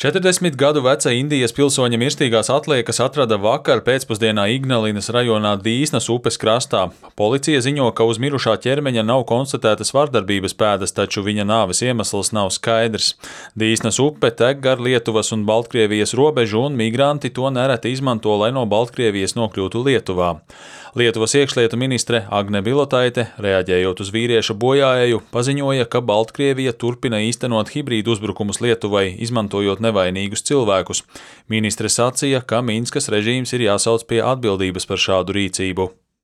40 gadu veca Indijas pilsoņa mirstīgās atliekas atrada vakar pēcpusdienā Ignalinas rajonā Dīsnas upes krastā. Policija ziņo, ka uz mirušā ķermeņa nav konstatētas vardarbības pēdas, taču viņa nāves iemesls nav skaidrs. Dīsnas upe tek gar Lietuvas un Baltkrievijas robežu, un migranti to nereti izmanto, lai no Baltkrievijas nokļūtu Lietuvā. Lietuvas iekšlietu ministre Agne Bilotaite, reaģējot uz vīrieša bojāēju, paziņoja, ka Baltkrievija turpina īstenot hibrīdu uzbrukumus Lietuvai, izmantojot nevainīgus cilvēkus. Ministre sacīja, ka Minskas režīms ir jāsauc pie atbildības par šādu rīcību.